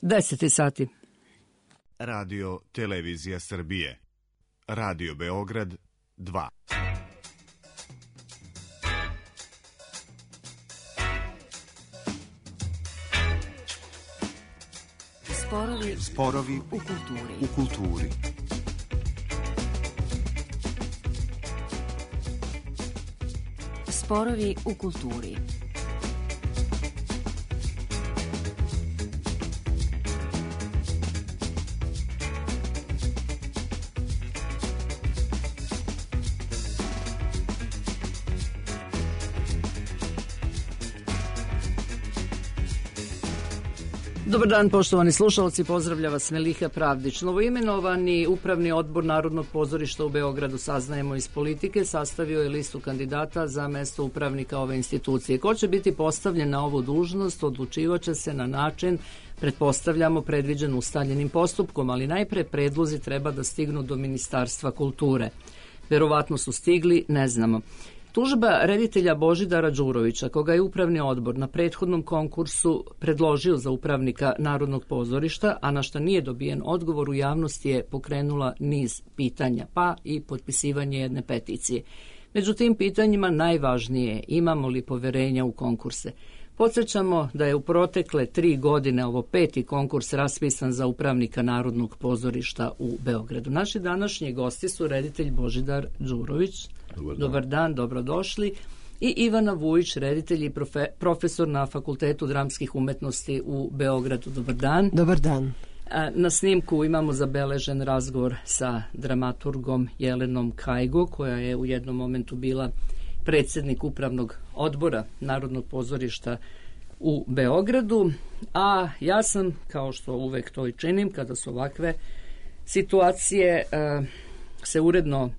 10 sati. Radio Televizija Srbije. Radio Beograd 2. Sporovi u kulturi. Sporovi u kulturi. Dobar dan, poštovani slušalci, pozdravlja vas Meliha Pravdić. Novoimenovani Upravni odbor Narodnog pozorišta u Beogradu, saznajemo iz Politike, sastavio je listu kandidata za mesto upravnika ove institucije. Ko će biti postavljen na ovu dužnost, odlučivaće se na način, pretpostavljamo, predviđen ustaljenim postupkom, ali najpre predlozi treba da stignu do Ministarstva kulture. Verovatno su stigli, ne znamo. Tužba reditelja Božidara Đurovića, koga je Upravni odbor na prethodnom konkursu predložio za upravnika Narodnog pozorišta, a na šta nije dobijen odgovor u javnosti, je pokrenula niz pitanja, pa i potpisivanje jedne peticije. Među tim pitanjima najvažnije je imamo li poverenja u konkurse. Podsjećamo da je u protekle 3 godine ovo 5. konkurs raspisan za upravnika Narodnog pozorišta u Beogradu. Naši današnji gosti su reditelj Božidar Đurović. Dobar dan, dobrodošli. I Ivana Vujić, reditelj i profesor na Fakultetu dramskih umetnosti u Beogradu. Dobar dan. Dobar dan. Na snimku imamo zabeležen razgovor sa dramaturgom Jelenom Kajgo, koja je u jednom momentu bila predsjednik Upravnog odbora Narodnog pozorišta u Beogradu, a ja sam, kao što uvek to i činim, kada su ovakve situacije, se uredno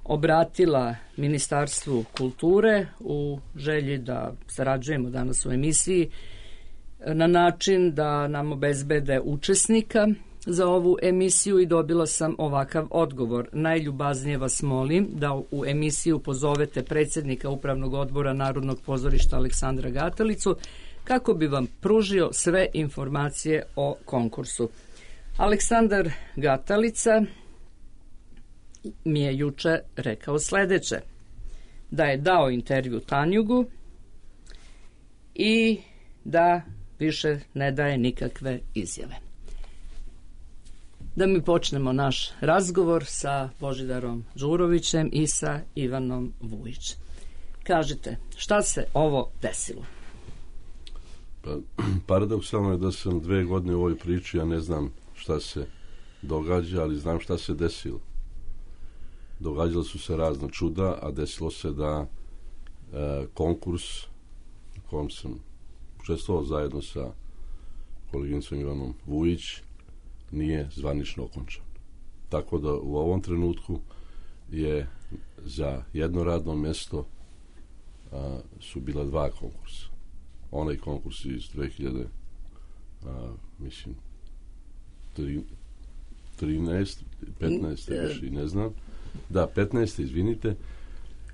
obratila Ministarstvu kulture u želji da sarađujemo danas u emisiji na način da nam obezbede učesnika za ovu emisiju i dobila sam ovakav odgovor. Najljubaznije vas molim da u emisiju pozovete predsjednika Upravnog odbora Narodnog pozorišta Aleksandra Gatalicu kako bi vam pružio sve informacije o konkursu. Aleksandar Gatalica mi je juče rekao sledeće, da je dao intervju Tanjugu i da više ne daje nikakve izjave. Da mi počnemo naš razgovor sa Božidarom Đurovićem i sa Ivanom Vujić. Kažite, šta se ovo desilo? Paradoksalno je da sam 2 godine u ovoj priči, ja ne znam šta se događa, ali znam šta se desilo. Događala su se razna čuda, a desilo se da konkurs u kojem sam učestvovao zajedno sa koleginicom Ivanom Vujić nije zvanično okončan. Tako da u ovom trenutku je za jedno radno mesto su bila 2 konkursa. Onaj konkurs iz 13, 15, više ne znam. Da, 15, izvinite,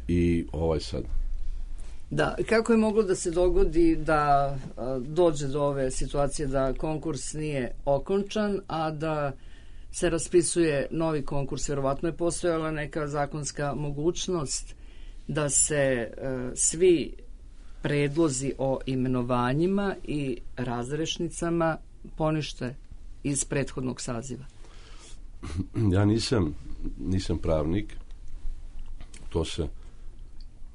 i ovaj sad. Da, kako je moglo da se dogodi da dođe do ove situacije da konkurs nije okončan, a da se raspisuje novi konkurs? Verovatno je postojala neka zakonska mogućnost da se svi predlozi o imenovanjima i razrešnicama ponište iz prethodnog saziva. Ja nisam pravnik, to se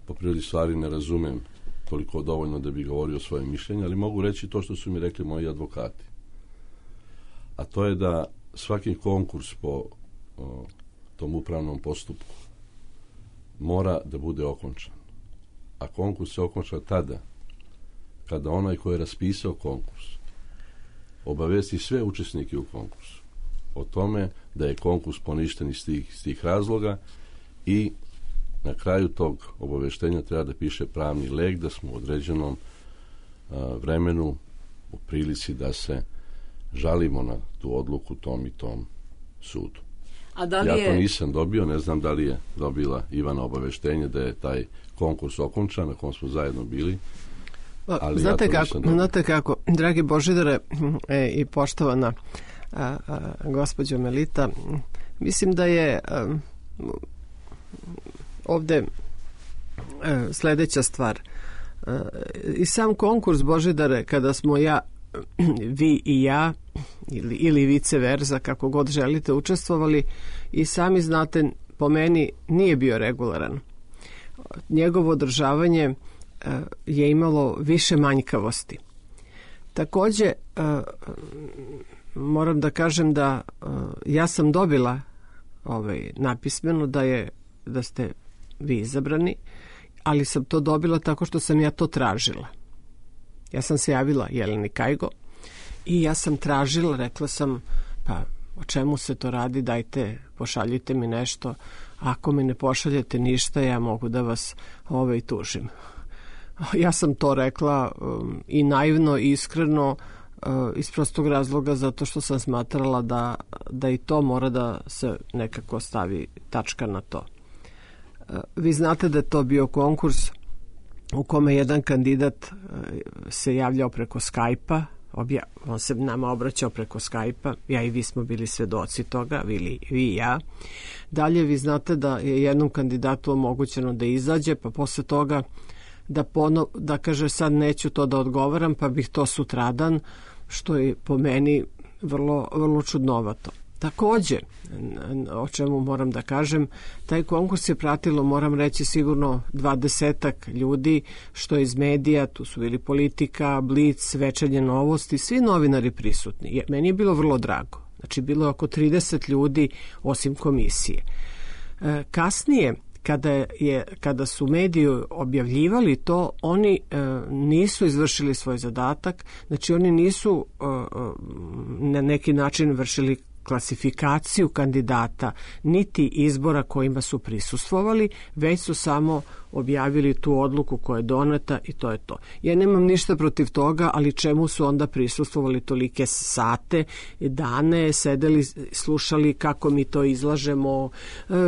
po prirodi stvari ne razumem toliko dovoljno da bi govorio svoje mišljenje, ali mogu reći to što su mi rekli moji advokati. A to je da svaki konkurs po tom upravnom postupku mora da bude okončan. A konkurs se okonča tada kada onaj koji je raspisao konkurs obavesti sve učesnike u konkursu o tome da je konkurs poništen iz tih razloga i na kraju tog obaveštenja treba da piše pravni lek da smo u određenom vremenu u prilici da se žalimo na tu odluku tom i tom sudu. A da li ja to nisam dobio, ne znam da li je dobila Ivana obaveštenje da je taj konkurs okončan na kom smo zajedno bili. Ali znate kako, dragi Božidare i poštovana gospođo Melita, mislim da je ovde sledeća stvar. I sam konkurs, Božidare, kada smo vi i ja ili vice versa, kako god želite, učestvovali, i sami znate, po meni nije bio regularan. Njegovo održavanje je imalo više manjkavosti. Takođe, moram da kažem da ja sam dobila napismeno da ste vi izabrani, ali sam to dobila tako što sam ja to tražila. Ja sam se javila Jeleni Kajgo i ja sam tražila, rekla sam, pa o čemu se to radi, dajte, pošaljite mi nešto, ako mi ne pošaljete ništa, ja mogu da vas tužim. Ja sam to rekla i naivno, i iskreno, iz prostog razloga zato što sam smatrala da i to mora da se nekako stavi tačka na to. Vi znate da je to bio konkurs u kome jedan kandidat se javljao preko Skype-a, on se nama obraćao preko Skype-a, ja i vi smo bili svedoci toga, vi i ja. Dalje, vi znate da je jednom kandidatu omogućeno da izađe, pa posle toga da kaže sad neću to da odgovaram, pa bih to sutradan, što je po meni vrlo, vrlo čudnovato. Takođe, o čemu moram da kažem, taj konkurs je pratilo, moram reći, sigurno 20 ljudi, što iz medija, tu su bili Politika, Blic, Večernje novosti, svi novinari prisutni. Meni je bilo vrlo drago. Znači, bilo je oko 30 ljudi osim komisije. Kasnije, kada su mediji objavljivali to, oni nisu izvršili svoj zadatak, znači oni nisu na neki način vršili klasifikaciju kandidata, niti izbora kojima su prisustvovali, već su samo objavili tu odluku koja je doneta i to je to. Ja nemam ništa protiv toga, ali čemu su onda prisustvovali tolike sate, dane, sedeli, slušali kako mi to izlažemo,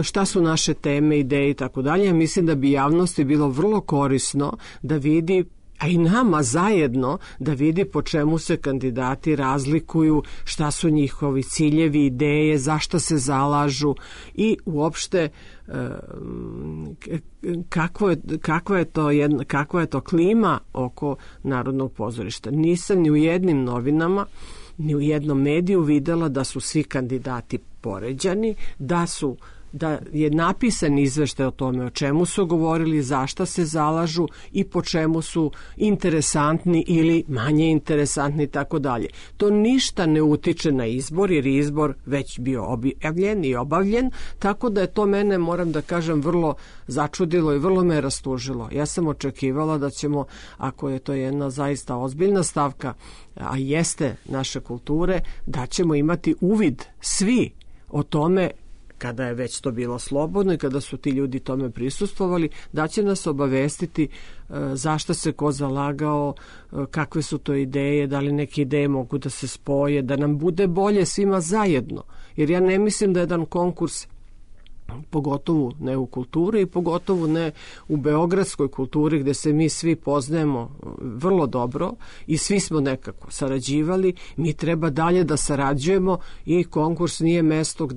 šta su naše teme, ideje i tako dalje. Mislim da bi javnosti bilo vrlo korisno da vidi, a i nama zajedno, da vidi po čemu se kandidati razlikuju, šta su njihovi ciljevi, ideje, zašto se zalažu i uopšte kakva je to klima oko Narodnog pozorišta. Nisam ni u jednim novinama, ni u jednom mediju videla da su svi kandidati poređani, da je napisan izveštaj o tome o čemu su govorili, zašto se zalažu i po čemu su interesantni ili manje interesantni i tako dalje. To ništa ne utiče na izbor, jer je izbor već bio objavljen i obavljen, tako da je to mene, moram da kažem, vrlo začudilo i vrlo me rastužilo. Ja sam očekivala da ćemo, ako je to jedna zaista ozbiljna stavka, a jeste naše kulture, da ćemo imati uvid svi o tome, kada je već to bilo slobodno i kada su ti ljudi tome prisustvovali, da će nas obavestiti zašto se ko zalagao, kakve su to ideje, da li neke ideje mogu da se spoje, da nam bude bolje svima zajedno. Jer ja ne mislim da jedan konkurs, pogotovo ne u kulturi i pogotovo ne u beogradskoj kulturi gde se mi svi poznajemo vrlo dobro i svi smo nekako sarađivali, mi treba dalje da sarađujemo i konkurs nije mesto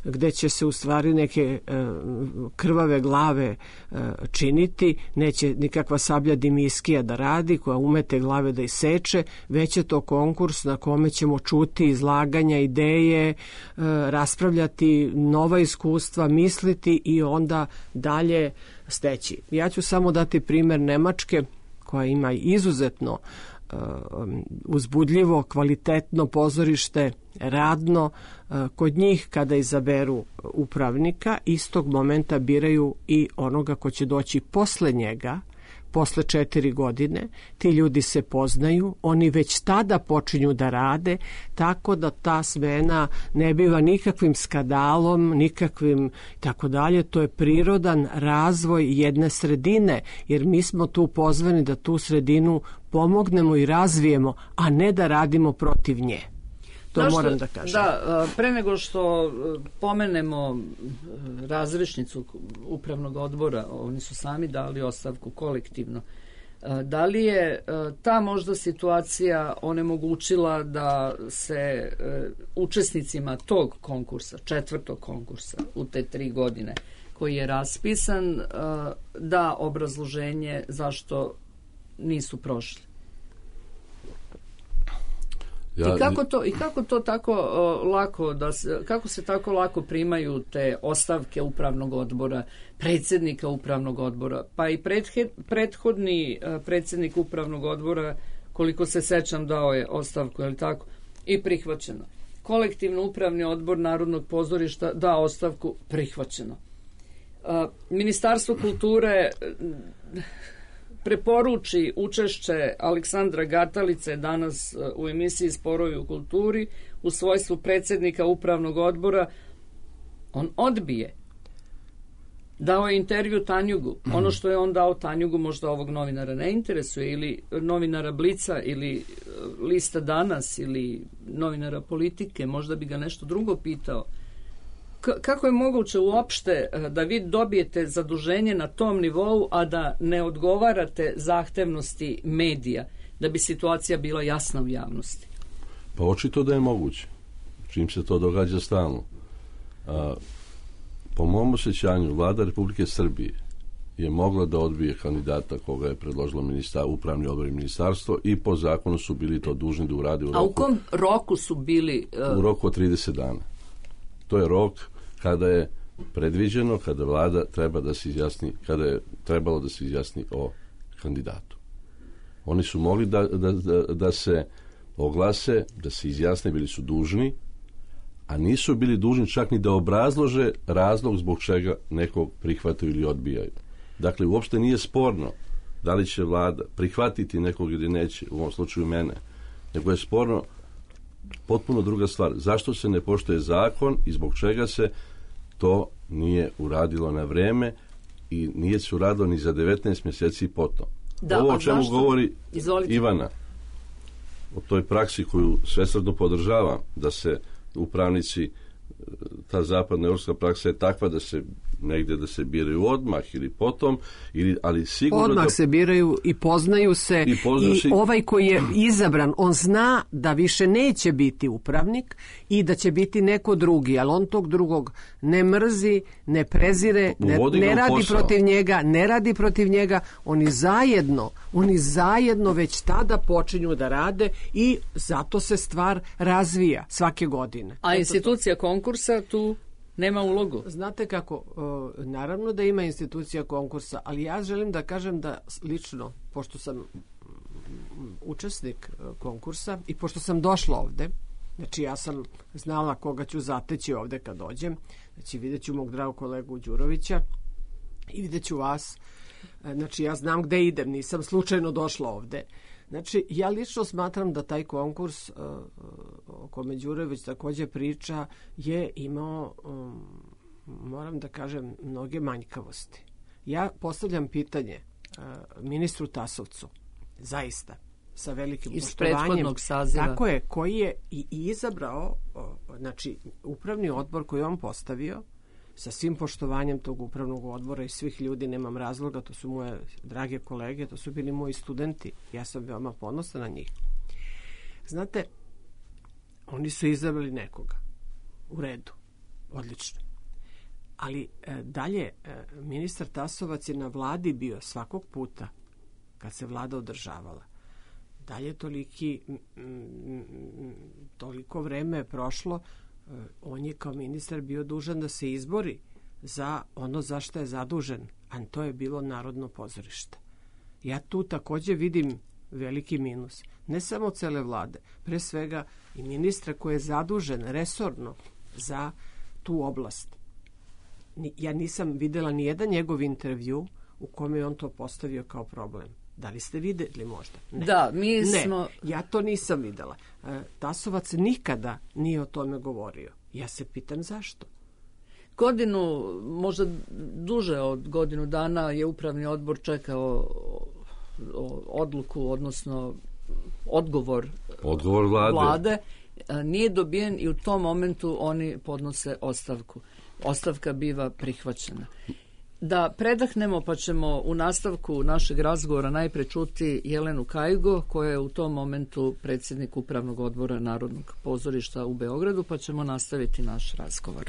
gde će se u stvari neke krvave glave činiti, neće nikakva Sablja Dimiskija da radi koja umete glave da iseče, već je to konkurs na kome ćemo čuti izlaganja, ideje, raspravljati nova iskustva, misliti i onda dalje steći. Ja ću samo dati primer Nemačke, koja ima izuzetno uzbudljivo, kvalitetno pozorište, radno. Kod njih, kada izaberu upravnika, istog momenta biraju i onoga ko će doći posle njega, posle 4 godine. Ti ljudi se poznaju, oni već tada počinju da rade, tako da ta smena ne biva nikakvim skandalom, nikakvim tako dalje. To je prirodan razvoj jedne sredine, jer mi smo tu pozvani da tu sredinu pomognemo i razvijemo, a ne da radimo protiv nje. To moram da kažem. Da, pre nego što pomenemo razrešnicu upravnog odbora, oni su sami dali ostavku kolektivno. Da li je ta možda situacija onemogućila da se učesnicima tog konkursa, 4. konkursa u te 3 godine koji je raspisan, da obrazloženje zašto nisu prošli? Kako se tako lako primaju te ostavke upravnog odbora, predsjednika upravnog odbora, pa i prethodni predsjednik upravnog odbora, koliko se sećam, dao je ostavku, je li tako? I prihvaćeno. Kolektivno upravni odbor Narodnog pozorišta dao ostavku, prihvaćeno. Ministarstvo kulture preporuči učešće Aleksandra Gatalice danas u emisiji Sporovi u kulturi u svojstvu predsjednika upravnog odbora. On odbije. Dao je intervju Tanjugu. Ono što je on dao Tanjugu možda ovog novinara ne interesuje, ili novinara Blica, ili Lista Danas, ili novinara Politike, možda bi ga nešto drugo pitao. Kako je moguće uopšte da vi dobijete zaduženje na tom nivou, a da ne odgovarate zahtevnosti medija, da bi situacija bila jasna u javnosti? Pa očito da je moguće. Čim se to događa stalno. Po mom osjećanju, Vlada Republike Srbije je mogla da odbije kandidata koga je predložilo upravni odbor i ministarstvo, i po zakonu su bili to dužni da urade u roku. A u kom roku su bili? U roku od 30 dana. To je rok kada je predviđeno, kada Vlada treba da se izjasni, kada je trebalo da se izjasni o kandidatu. Oni su mogli da se oglase, da se izjasne, bili su dužni, a nisu bili dužni čak ni da obrazlože razlog zbog čega nekog prihvataju ili odbijaju. Dakle, uopšte nije sporno da li će Vlada prihvatiti nekog ili neće, u ovom slučaju mene, nego je sporno potpuno druga stvar. Zašto se ne poštuje zakon i zbog čega se to nije uradilo na vreme i nije se uradilo ni za 19 mjeseci potom. Ovo o čemu govori Ivana, o toj praksi koju svesrdno podržavam, da se upravnici, ta zapadna evropska praksa je takva da se negdje da se biraju odmah ili potom, ali sigurno odmah se biraju i poznaju se i ovaj koji je izabran, on zna da više neće biti upravnik i da će biti neko drugi, ali on tog drugog ne mrzi, ne prezire, ne radi protiv njega, oni zajedno već tada počinju da rade i zato se stvar razvija svake godine. A institucija konkursa tu nema ulogu. Znate kako, naravno da ima institucija konkursa, ali ja želim da kažem da lično, pošto sam učesnik konkursa i pošto sam došla ovde, znači ja sam znala koga ću zateći ovde kad dođem, znači vidjet ću mog dragog kolegu Đurovića i vidjet ću vas, znači ja znam gde idem, nisam slučajno došla ovde. Znači, ja lično smatram da taj konkurs o kome Đurović također priča je imao, moram da kažem, mnoge manjkavosti. Ja postavljam pitanje ministru Tasovcu, zaista, sa velikim poštovanjem. Tako je, koji je i izabrao, znači, upravni odbor koji on postavio, sa svim poštovanjem tog upravnog odbora i svih ljudi, nemam razloga, to su moje drage kolege, to su bili moji studenti, ja sam veoma ponosna na njih. Znate, oni su izabrali nekoga, u redu, odlično. Ali dalje, ministar Tasovac je na vladi bio svakog puta, kad se vlada održavala. Dalje toliko vreme je prošlo, on je kao ministar bio dužan da se izbori za ono za što je zadužen, a to je bilo Narodno pozorište. Ja tu također vidim veliki minus, ne samo cele vlade, pre svega i ministra koji je zadužen resorno za tu oblast. Ja nisam videla ni jedan njegov intervju u kome je on to postavio kao problem. Da li ste vidjeli možda? Ne. Da, mi smo... Ne, ja to nisam videla. Tasovac nikada nije o tome govorio. Ja se pitam zašto. Godinu, možda duže od godinu dana je upravni odbor čekao odluku, odnosno odgovor vlade. Nije dobijen i u tom momentu oni podnose ostavku. Ostavka biva prihvaćena. Da predahnemo, pa ćemo u nastavku našeg razgovora najpre čuti Jelenu Kajgo, koja je u tom momentu predsjednik Upravnog odbora Narodnog pozorišta u Beogradu, pa ćemo nastaviti naš razgovor.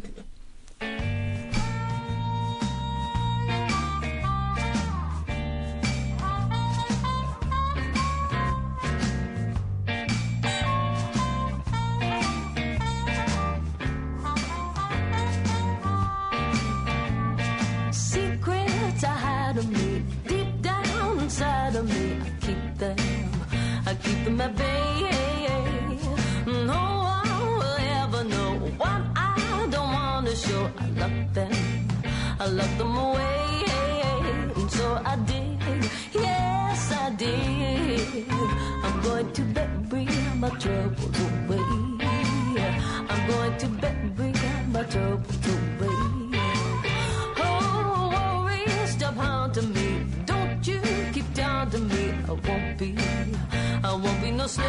I keep them at bay. No one will ever know what I don't want to show. I lock them away. And so I did, yes I did. I'm going to bury my troubles away. I'm going to bury my troubles away. Oh, worry, stop haunting me. Don't you keep down to me. I won't be no slave.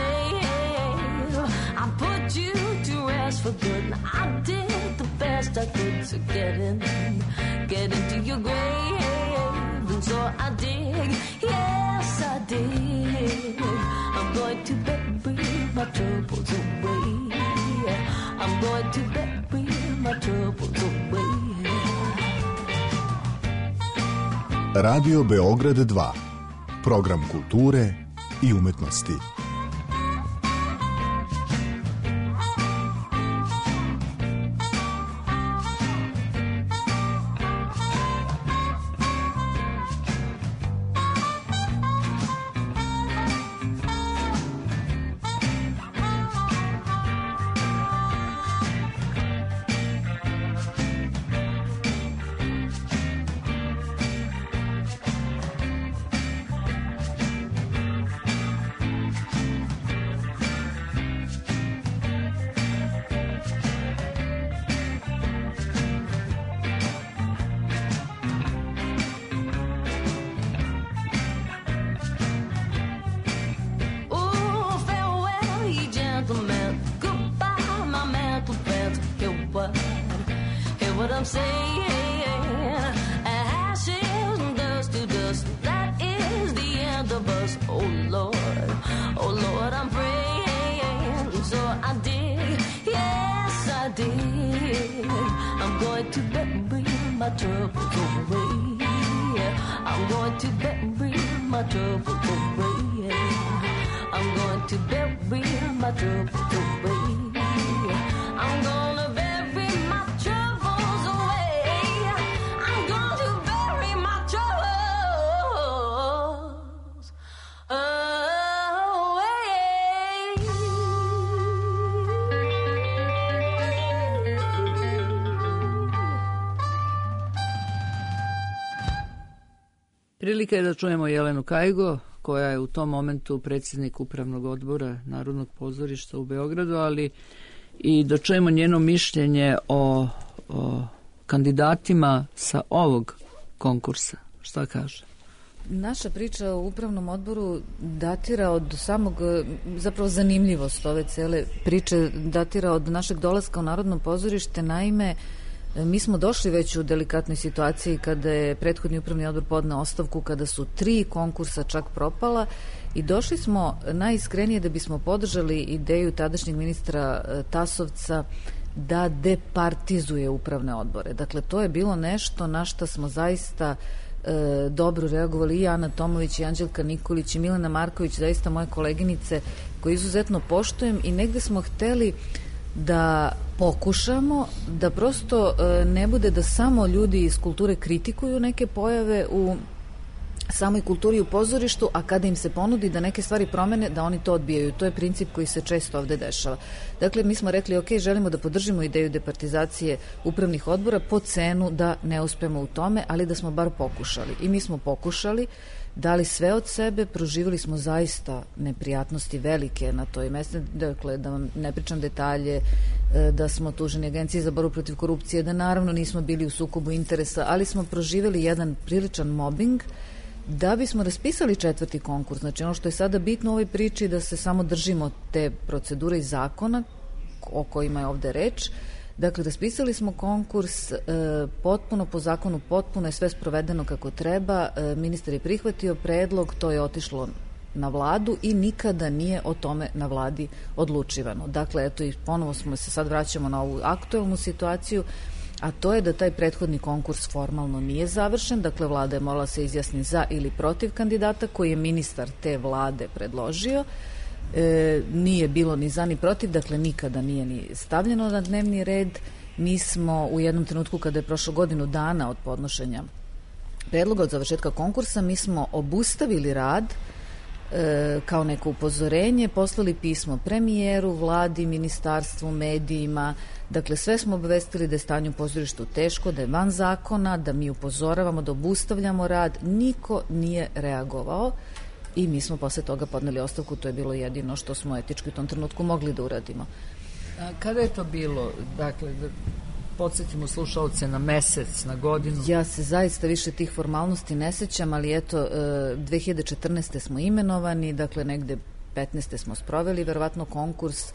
I put you to rest for good. I did the best I could to get into your grave. And so I did, yes I did. I'm going to bury my troubles away. I'm going to bury my troubles away. Radio Beograd 2. Program kulture i umetnosti. I'm saying, ashes and dust to dust, that is the end of us. Oh Lord, I'm praying. So I did, yes I did. I'm going to bury my troubles away. I'm going to bury my troubles away. I'm going to bury my troubles away. I'm gonna bury my troubles away. I'm going to bury my troubles away. Prilika je da čujemo Jelenu Kajgo, koja je u tom momentu predsjednik Upravnog odbora Narodnog pozorišta u Beogradu, ali i da čujemo njeno mišljenje o kandidatima sa ovog konkursa. Šta kaže? Naša priča o Upravnom odboru datira od samog, zapravo zanimljivost ove cele priče datira od našeg dolaska u Narodno pozorište. Naime, mi smo došli već u delikatnoj situaciji kada je prethodni Upravni odbor podneo ostavku, kada su 3 konkursa čak propala i došli smo najiskrenije da bismo podržali ideju tadašnjeg ministra Tasovca da departizuje upravne odbore. Dakle, to je bilo nešto na što smo zaista dobro reagovali i Ana Tomović i Anđelka Nikolić i Milena Marković, zaista moje koleginice koje izuzetno poštujem, i negde smo hteli da pokušamo da prosto ne bude da samo ljudi iz kulture kritikuju neke pojave u samoj kulturi u pozorištu, a kada im se ponudi da neke stvari promene, da oni to odbijaju. To je princip koji se često ovde dešava. Dakle, mi smo rekli, ok, želimo da podržimo ideju departizacije upravnih odbora po cenu da ne uspemo u tome, ali da smo bar pokušali. I mi smo pokušali, dali sve od sebe, proživjeli smo zaista neprijatnosti velike na toj mjestu, dakle, da vam ne pričam detalje, da smo tuženi Agenciji za borbu protiv korupcije, da naravno nismo bili u sukobu interesa, ali smo proživjeli jedan priličan mobbing da bismo raspisali 4. konkurs. Znači, ono što je sada bitno u ovoj priči da se samo držimo te procedure i zakona o kojima je ovde reč, Dakle, raspisali smo konkurs potpuno po zakonu, potpuno je sve sprovedeno kako treba. Ministar je prihvatio predlog, to je otišlo na vladu i nikada nije o tome na vladi odlučivano. Dakle, eto i ponovo smo se sad vraćamo na ovu aktuelnu situaciju, a to je da taj prethodni konkurs formalno nije završen. Dakle, vlada je morala se izjasniti za ili protiv kandidata koji je ministar te vlade predložio. Nije bilo ni za ni protiv, dakle nikada nije ni stavljeno na dnevni red. Mi smo u jednom trenutku, kada je prošlo godinu dana od podnošenja predloga od završetka konkursa, mi smo obustavili rad kao neko upozorenje, poslali pismo premijeru, vladi, ministarstvu, medijima. Dakle, sve smo obavestili da je stanje u pozorištu teško, da je van zakona, da mi upozoravamo, da obustavljamo rad. Niko nije reagovao i mi smo posle toga podneli ostavku. To je bilo jedino što smo etički u tom trenutku mogli da uradimo. A kada je to bilo? Dakle, da podsjetimo slušalce na mesec, na godinu. Ja se zaista više tih formalnosti ne sećam, ali eto, 2014. smo imenovani, dakle negde 15. smo sproveli verovatno konkurs,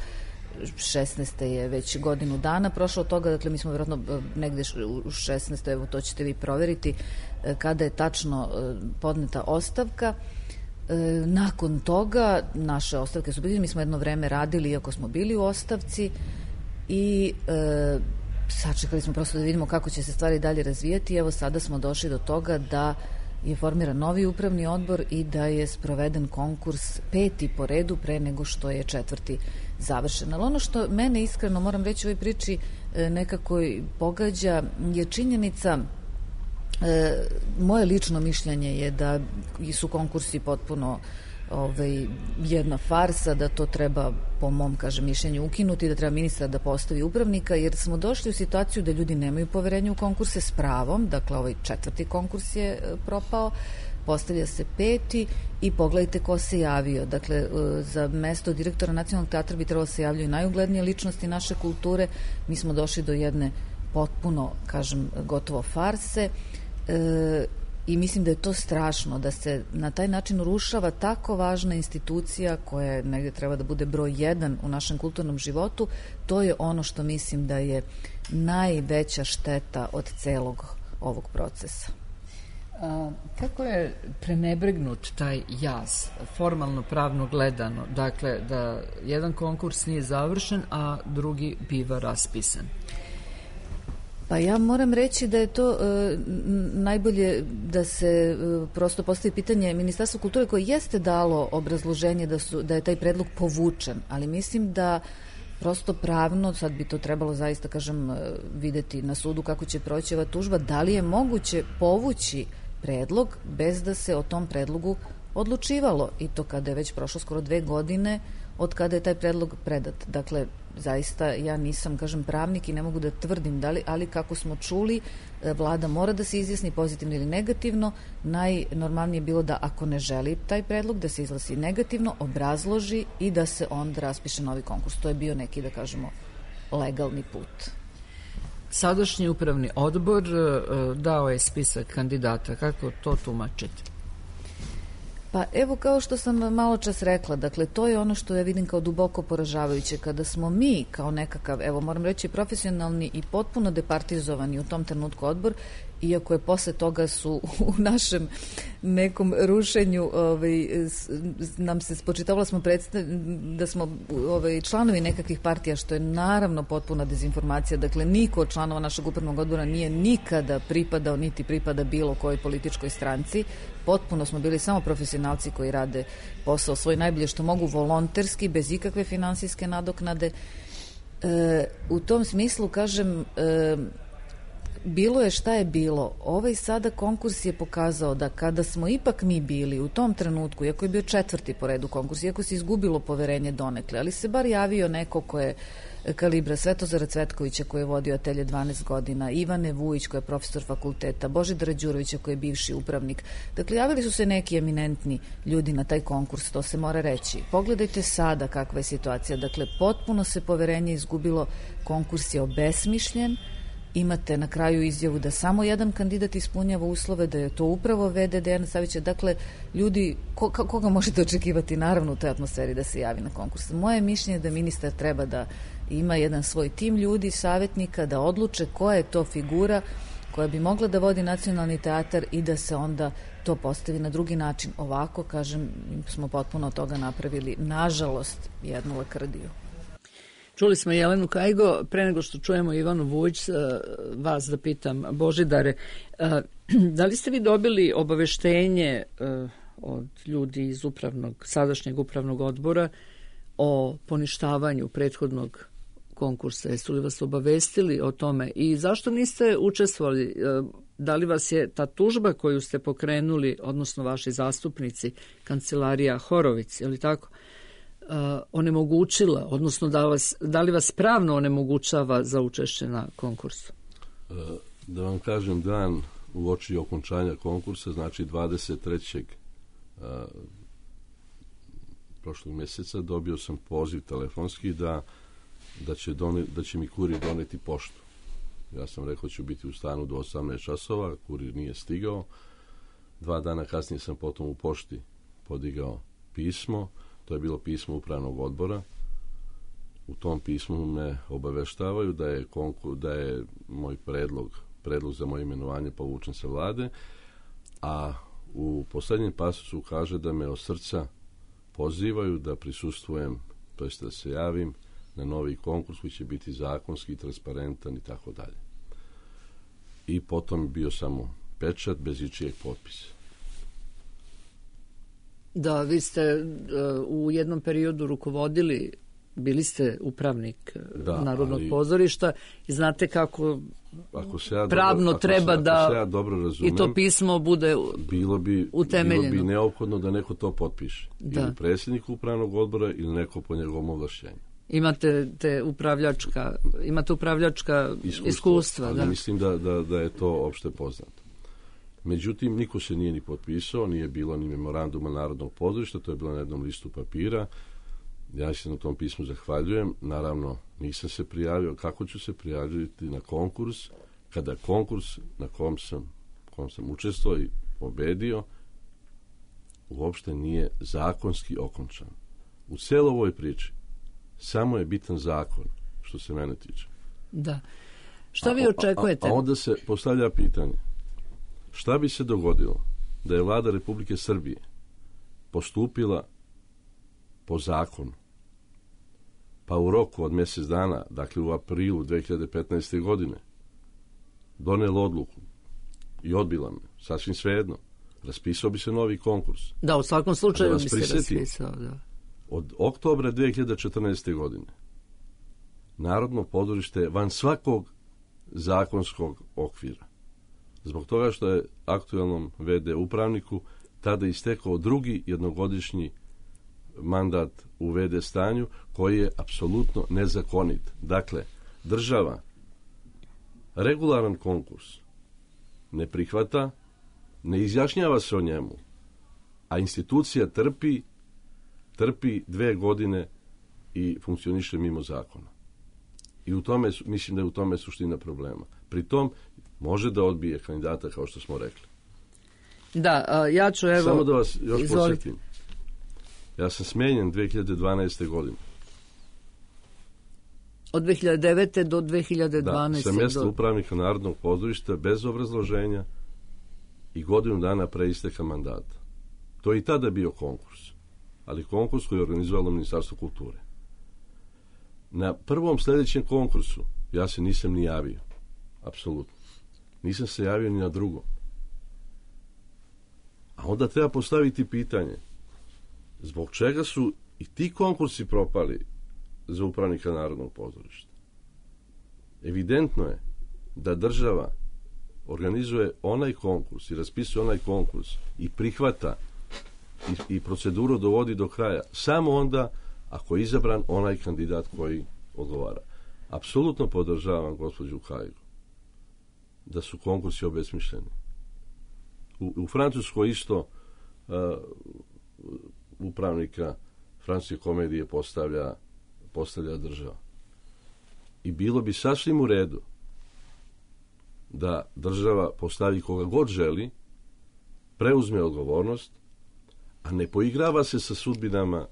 16. je već godinu dana prošlo od toga, dakle mi smo verovatno negde u 16. evo to ćete vi proveriti kada je tačno podneta ostavka. Nakon toga naše ostavke su bili, mi smo jedno vreme radili iako smo bili u ostavci i sačekali smo prosto da vidimo kako će se stvari dalje razvijati. Evo sada smo došli do toga da je formiran novi upravni odbor i da je sproveden konkurs 5. po redu pre nego što je 4. završen. Ali ono što mene iskreno, moram reći u ovoj priči, nekako pogađa je činjenica, moje lično mišljenje je da su konkursi potpuno jedna farsa, da to treba po mom mišljenju ukinuti, da treba ministar da postavi upravnika, jer smo došli u situaciju da ljudi nemaju poverenja u konkurse s pravom. Dakle, ovaj 4. konkurs je propao, postavlja se 5. i pogledajte ko se javio. Dakle, za mesto direktora Nacionalnog teatra bi trebalo se javljaju najuglednije ličnosti naše kulture. Mi smo došli do jedne potpuno, gotovo farse i mislim da je to strašno, da se na taj način rušava tako važna institucija koja negde treba da bude broj 1 u našem kulturnom životu. To je ono što mislim da je najveća šteta od celog ovog procesa. Kako je prenebregnut taj jaz, formalno pravno gledano, dakle da jedan konkurs nije završen, a drugi biva raspisan? Pa ja moram reći da je to najbolje da se prosto postavi pitanje Ministarstva kulture koje jeste dalo obrazloženje da je taj predlog povučen, ali mislim da prosto pravno, sad bi to trebalo zaista videti na sudu kako će proći ova tužba, da li je moguće povući predlog bez da se o tom predlogu odlučivalo, i to kada je već prošlo skoro 2 godine od kada je taj predlog predat. Dakle, zaista ja nisam, pravnik i ne mogu da tvrdim da li, ali kako smo čuli, vlada mora da se izjasni pozitivno ili negativno. Najnormalnije je bilo da ako ne želi taj predlog, da se izglasi negativno, obrazloži i da se onda raspiše novi konkurs. To je bio neki, da kažemo, legalni put. Sadašnji upravni odbor dao je spisak kandidata. Kako to tumačite? Pa evo, kao što sam malo čas rekla, dakle to je ono što ja vidim kao duboko poražavajuće, kada smo mi kao nekakav, evo moram reći, profesionalni i potpuno departizovani u tom trenutku odbor, iako je posle toga su u našem nekom rušenju nam se spočitavalo da smo članovi nekakvih partija, što je naravno potpuna dezinformacija. Dakle, niko od članova našeg upravnog odbora nije nikada pripadao niti pripada bilo kojoj političkoj stranci. Potpuno smo bili samo profesionalci koji rade posao svoj najbolje što mogu, volonterski, bez ikakve finansijske nadoknade. U tom smislu, bilo je šta je bilo. Ovaj sada konkurs je pokazao da kada smo ipak mi bili u tom trenutku, iako je bio 4. po redu konkurs, iako se izgubilo poverenje donekle, ali se bar javio neko ko je kalibra Svetozara Cvetkovića koji je vodio atelje 12 godina, Ivane Vujić koja je profesor fakulteta, Božidara Đurovića koji je bivši upravnik. Dakle, javili su se neki eminentni ljudi na taj konkurs, to se mora reći. Pogledajte sada kakva je situacija. Dakle, potpuno se poverenje izgubilo, konkurs je obesmišljen. Imate na kraju izjavu da samo jedan kandidat ispunjava uslove, da je to upravo VD Dejana Savića. Dakle, ljudi, koga možete očekivati naravno u toj atmosferi da se javi na konkurs? Moje mišljenje je da ministar treba da ima jedan svoj tim ljudi, savjetnika, da odluče koja je to figura koja bi mogla da vodi nacionalni teatar i da se onda to postavi na drugi način. Ovako, kažem, smo potpuno od toga napravili, nažalost, jednu lakrdiju. Čuli smo Jelenu Kajgo, pre nego što čujemo Ivanu Vujić, vas da pitam, Božidare, da li ste vi dobili obaveštenje od ljudi iz sadašnjeg upravnog odbora o poništavanju prethodnog konkursa? Jesu li vas obavestili o tome i zašto niste učestvovali? Da li vas je ta tužba koju ste pokrenuli, odnosno vaši zastupnici, kancelarija Horović, je li tako, onemogućila, odnosno da li vas pravno onemogućava za učešće na konkursu? Da vam kažem, dan uoči okončanja konkursa, znači 23. prošlog mjeseca, dobio sam poziv telefonski da će mi kurir doneti poštu. Ja sam rekao ću biti u stanu do 18 časova, kurir nije stigao. 2 dana kasnije sam potom u pošti podigao pismo, to je bilo pismo upravnog odbora. U tom pismu me obaveštavaju da je moj predlog za moje imenovanje povučen sa vlade, a u posljednjem pasusu kaže da me od srca pozivaju da prisustvujem, to jest da se javim na novi konkurs koji će biti zakonski, transparentan i tako dalje. I potom bio samo pečat bez ičijeg potpisa. Da, vi ste u jednom periodu rukovodili, bili upravnik Narodnog pozorišta i znate kako pravno treba da i to pismo bude utemeljeno. Bilo bi neophodno da neko to potpiše. Ili predsjednik upravnog odbora ili neko po njegovom ovlašćenju. Imate upravljačka iskustva. Ali mislim da je to opšte poznato. Međutim, niko se nije ni potpisao, nije bilo ni memoranduma Narodnog pozorišta, to je bilo na jednom listu papira. Ja se na tom pismu zahvaljujem. Naravno, nisam se prijavio. Kako ću se prijaviti na konkurs, kada konkurs na kom sam učestvovao i pobedio uopšte nije zakonski okončan. U celoj ovoj priči samo je bitan zakon, što se mene tiče. Da. Šta vi očekujete? A onda se postavlja pitanje, šta bi se dogodilo da je vlada Republike Srbije postupila po zakonu, pa u roku od mjesec dana, dakle u aprilu 2015. godine, donela odluku i odbila me, sasvim svejedno, raspisao bi se novi konkurs. Da, u svakom slučaju bi se raspisao, da. Od oktobra 2014. godine Narodno pozorište je van svakog zakonskog okvira. Zbog toga što je aktualnom VD upravniku tada istekao drugi jednogodišnji mandat u VD stanju koji je apsolutno nezakonit. Dakle, država regularan konkurs ne prihvata, ne izjašnjava se o njemu, a institucija trpi 2 godine i funkcioniše mimo zakona. I mislim da je u tome suština problema. Pri tom može da odbije kandidata, kao što smo rekli. Da, ja ću samo da vas još podsjetim. Ja sam smenjen 2012. godine. Od 2009. do 2012. Da, sa mjesta upravnika Narodnog pozorišta bez obrazloženja i godinu dana pre isteka mandata. To je i tada bio konkurs, ali konkurs koji je organizovalo Ministarstvo kulture. Na prvom sljedećem konkursu ja se nisam ni javio. Apsolutno. Nisam se javio ni na drugom. A onda treba postaviti pitanje, zbog čega su i ti konkursi propali za upravnika Narodnog pozorišta? Evidentno je da država organizuje onaj konkurs i raspisuje onaj konkurs i prihvata i proceduru dovodi do kraja samo onda ako je izabran onaj kandidat koji odgovara. Apsolutno podržavam gospođu Kajgu da su konkursi obesmišljeni. U Francuskoj isto upravnika francuske komedije postavlja država. I bilo bi sasvim u redu da država postavi koga god želi, preuzme odgovornost, a ne poigrava se sa sudbinama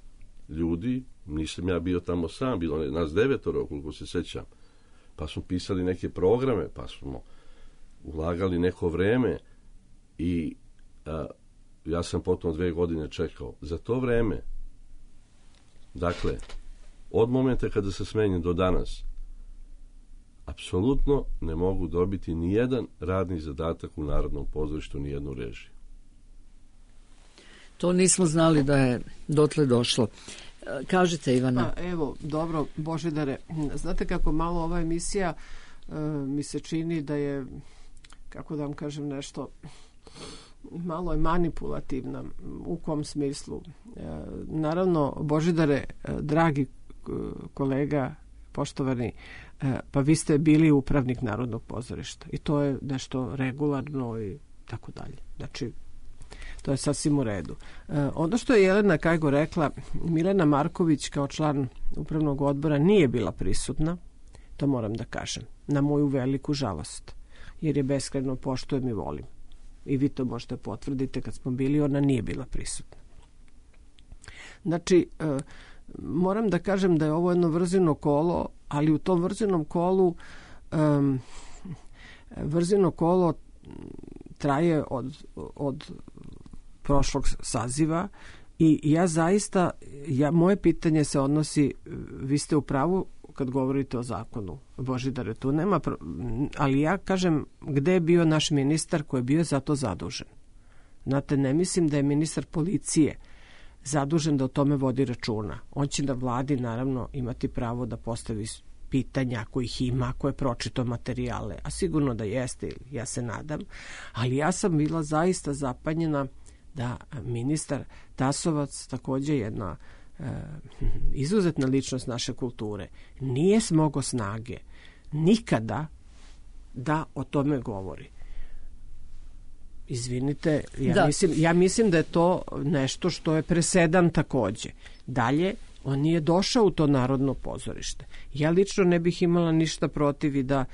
ljudi nisam ja bio tamo sam, bilo nas 9, koliko se sećam. Pa smo pisali neke programe, pa smo ulagali neko vreme i ja sam potom 2 godine čekao. Za to vreme, dakle, od momenta kada se smenjem do danas, apsolutno ne mogu dobiti ni jedan radni zadatak u Narodnom pozorištu, ni jednu režiju. To nismo znali da je dotle došlo. Kažite, Ivana. Pa, evo, dobro, Božidare, znate kako malo ova emisija mi se čini da je, kako da vam kažem nešto, malo je manipulativna. U kom smislu? Naravno, Božidare, dragi kolega, poštovani, pa vi ste bili upravnik Narodnog pozorišta i to je nešto regularno i tako dalje. Znači, to je sasvim u redu. Ono što je Jelena Kajgo rekla, Milena Marković kao član upravnog odbora nije bila prisutna, to moram da kažem, na moju veliku žalost, jer je beskrajno poštujem i volim. I vi to možete potvrditi, kad smo bili, ona nije bila prisutna. Znači, moram da kažem da je ovo jedno vrzino kolo, ali u tom vrzinom kolu vrzino kolo traje od prošlog saziva i ja zaista, moje pitanje se odnosi, vi ste u pravu kad govorite o zakonu, Božidare, tu nema, ali ja kažem, gde je bio naš ministar koji je bio za to zadužen? Znate, ne mislim da je ministar policije zadužen da o tome vodi računa. On će na vladi, naravno, imati pravo da postavi pitanja ako ih ima, ako je pročitao materijale, a sigurno da jeste, ja se nadam, ali ja sam bila zaista zapanjena da ministar Tasovac, takođe jedna izuzetna ličnost naše kulture, nije smogao snage nikada da o tome govori. Izvinite, ja mislim da je to nešto što je presedan takođe. Dalje, on nije došao u to Narodno pozorište. Ja lično ne bih imala ništa protiv i da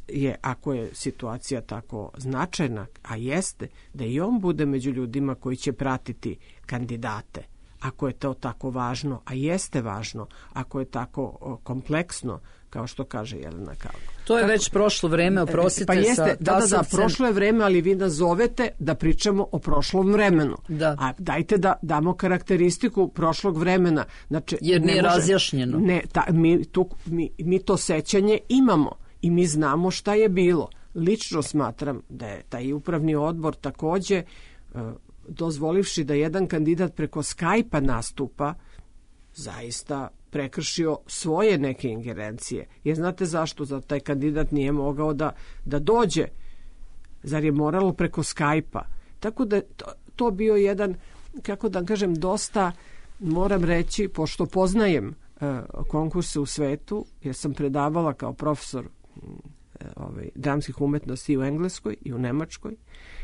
je, ako je situacija tako značajna, a jeste, da i on bude među ljudima koji će pratiti kandidate. Ako je to tako važno, a jeste važno, ako je tako kompleksno, kao što kaže Jelena Kajgo. To je već prošlo vreme, oprostite. Pa jeste, da, prošlo je vreme, ali vi nas zovete da pričamo o prošlom vremenu. Da. A dajte da damo karakteristiku prošlog vremena. Znači, jer nije razjašnjeno. Ne, mi to sećanje imamo i mi znamo šta je bilo. Lično smatram da je taj upravni odbor takođe dozvolivši da jedan kandidat preko Skype-a nastupa, zaista prekršio svoje neke ingerencije. Jer znate zašto? Zato taj kandidat nije mogao da dođe. Zar je moralo preko Skype-a? Tako da to bio jedan, kako da kažem, dosta, moram reći, pošto poznajem konkurse u svetu, jer sam predavala kao profesor dramskih umetnosti i u Engleskoj i u Nemačkoj,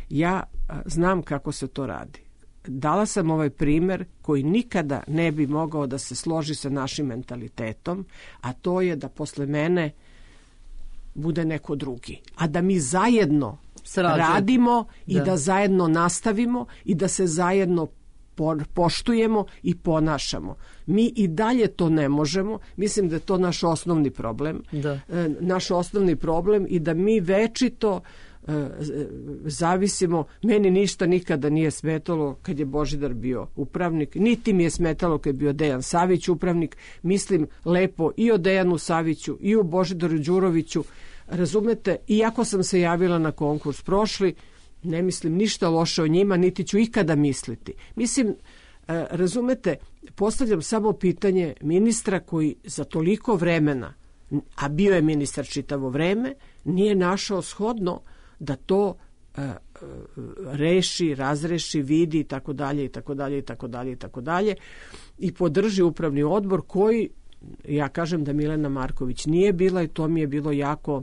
ja znam kako se to radi. Dala sam ovaj primer koji nikada ne bi mogao da se složi sa našim mentalitetom, a to je da posle mene bude neko drugi. A da mi zajedno radimo i da zajedno nastavimo i da se zajedno poštujemo i ponašamo. Mi i dalje to ne možemo. Mislim da je to naš osnovni problem. Naš osnovni problem i da mi večito zavisimo. Meni ništa nikada nije smetalo kad je Božidar bio upravnik, niti mi je smetalo kad je bio Dejan Savić upravnik. Mislim lepo i o Dejanu Saviću i o Božidaru Đuroviću. Razumete, iako sam se javila na konkurs prošli, ne mislim ništa loše o njima, niti ću ikada misliti. Mislim, razumete, postavljam samo pitanje ministra koji za toliko vremena, a bio je ministar čitavo vreme, nije našao shodno da to reši, razreši, vidi i tako dalje i tako dalje i tako dalje i tako dalje i podrži upravni odbor koji, ja kažem da Milena Marković nije bila i to mi je bilo jako,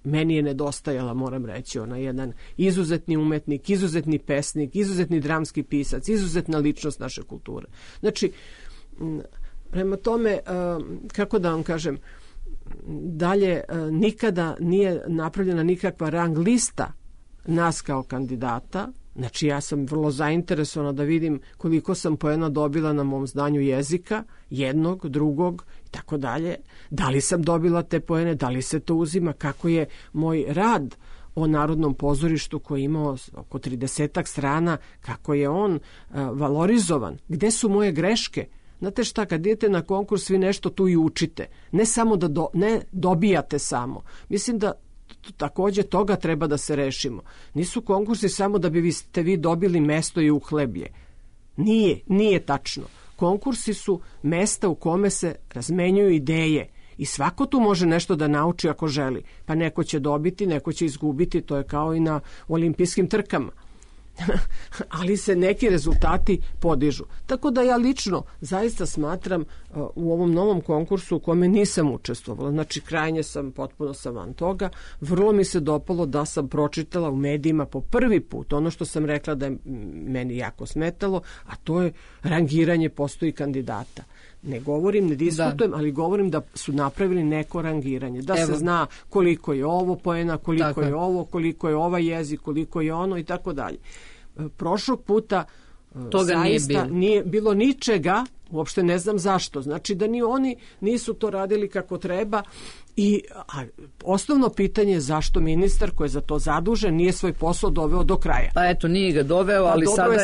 meni je nedostajala, moram reći, ona jedan izuzetni umetnik, izuzetni pesnik, izuzetni dramski pisac, izuzetna ličnost naše kulture. Znači, prema tome, kako da vam kažem, dalje nikada nije napravljena nikakva rang lista nas kao kandidata, Znači ja sam vrlo zainteresovana da vidim koliko sam poena dobila na mom znanju jezika, jednog, drugog i tako dalje. Da li sam dobila te poene, da li se to uzima, kako je moj rad o Narodnom pozorištu koji je imao oko 30 strana, kako je on valorizovan, gde su moje greške. Znate šta, kad idete na konkurs vi nešto tu i učite, ne samo da ne dobijate samo. Mislim da takođe toga treba da se rešimo. Nisu konkursi samo da bi ste vi dobili mesto i uhleblje. Nije tačno. Konkursi su mesta u kome se razmenjuju ideje i svako tu može nešto da nauči ako želi. Pa neko će dobiti, neko će izgubiti, to je kao i na olimpijskim trkama. Ali se neki rezultati podižu. Tako da ja lično zaista smatram u ovom novom konkursu u kome nisam učestvovala, znači krajnje sam, potpuno sam van toga, vrlo mi se dopalo da sam pročitala u medijima po prvi put ono što sam rekla da je meni jako smetalo, a to je rangiranje postoji kandidata. Ne govorim, ne diskutujem, ali govorim da su napravili neko rangiranje. Da se zna koliko je ovo poena, koliko je ovo, koliko je ovaj jezik, koliko je ono i tako dalje. Prošlog puta toga zaista nije bilo ničega, uopšte ne znam zašto. Znači da ni oni nisu to radili kako treba i osnovno pitanje je zašto ministar koji je za to zadužen nije svoj posao doveo do kraja. Pa eto, nije ga doveo, ali sada je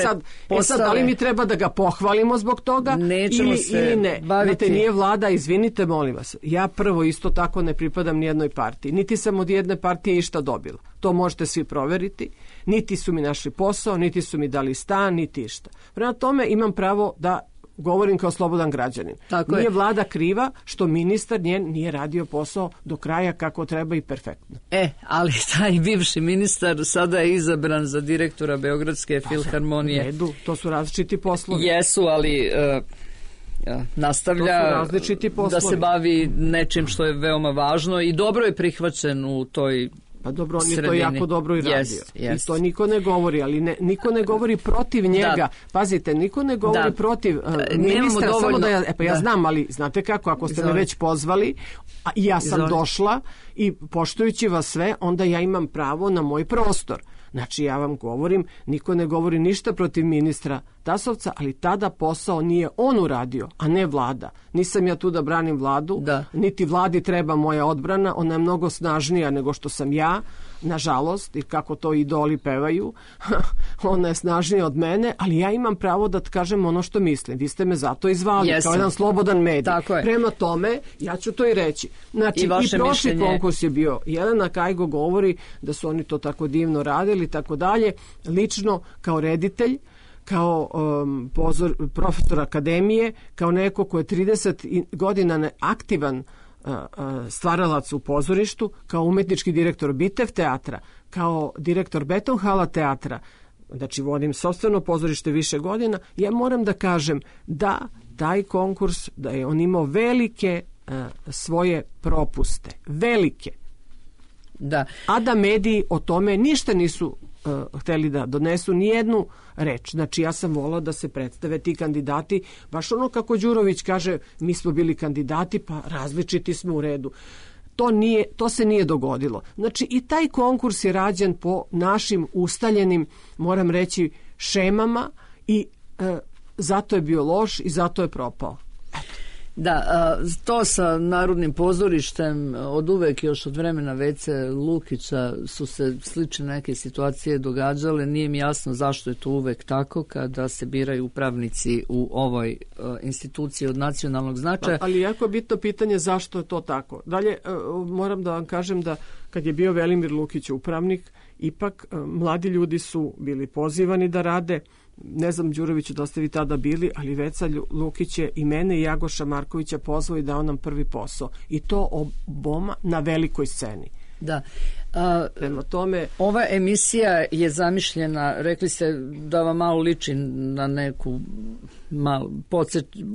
sad, da li mi treba da ga pohvalimo zbog toga ili ne? Znate, nije vlada, izvinite, molim vas. Ja prvo isto tako ne pripadam nijednoj partiji. Niti sam od jedne partije išta dobila. To možete svi proveriti. Niti su mi našli posao, niti su mi dali stan, niti išta. Prema tome imam pravo da govorim kao slobodan građanin. Nije vlada kriva što ministar njen nije radio posao do kraja kako treba i perfektno. Ali taj bivši ministar sada je izabran za direktora Beogradske filharmonije. Redu, to su različiti poslovi. Jesu, ali nastavlja da se bavi nečim što je veoma važno i dobro je prihvaćen u toj Pa dobro, on je to jako dobro i radio. I to niko ne govori, ali niko ne govori protiv njega. Pazite, niko ne govori protiv ministra, samo da ja znam, ali znate kako, ako ste me već pozvali, a ja sam došla i poštujući vas sve, onda ja imam pravo na moj prostor. Znači ja vam govorim, niko ne govori ništa protiv ministra Tasovca, ali tada posao nije on uradio, a ne vlada. Nisam ja tu da branim vladu, niti vladi treba moja odbrana, ona je mnogo snažnija nego što sam ja, nažalost, i kako to idoli pevaju, ona je snažnija od mene, ali ja imam pravo da kažem ono što mislim. Vi ste me zato izvali, kao jedan slobodan medij. Prema tome, ja ću to i reći. Znači, i prošli konkurs je bio. Jelena Kajgo govori da su oni to tako divno radili, tako dalje. Lično, kao reditelj, kao profesor akademije, kao neko ko je 30 godina aktivan stvaralac u pozorištu, kao umetnički direktor Bitev teatra, kao direktor Betonhala teatra, znači vodim sopstveno pozorište više godina, ja moram da kažem da taj konkurs, da je on imao velike svoje propuste. Velike. A da mediji o tome ništa nisu hteli da donesu nijednu reč. Znači ja sam volila da se predstave ti kandidati, baš ono kako Đurović kaže, mi smo bili kandidati, pa različiti smo u redu. To se nije dogodilo. Znači i taj konkurs je rađen po našim ustaljenim, moram reći, šemama i zato je bio loš i zato je propao. Da, to sa Narodnim pozorištem od uvek, još od vremena Vece Lukića su se slične neke situacije događale. Nije mi jasno zašto je to uvek tako kada se biraju upravnici u ovoj instituciji od nacionalnog značaja. Ali jako je bitno pitanje zašto je to tako. Dalje, moram da vam kažem da kad je bio Velimir Lukić upravnik, ipak mladi ljudi su bili pozivani da rade. Ne znam, Đuroviću, da ste vi tada bili, ali Veca Lukić je i mene i Jagoša Markovića pozvao i dao nam prvi posao. I to oboma na velikoj sceni. Da. Prema tome, ova emisija je zamišljena, rekli ste da vam malo liči na neku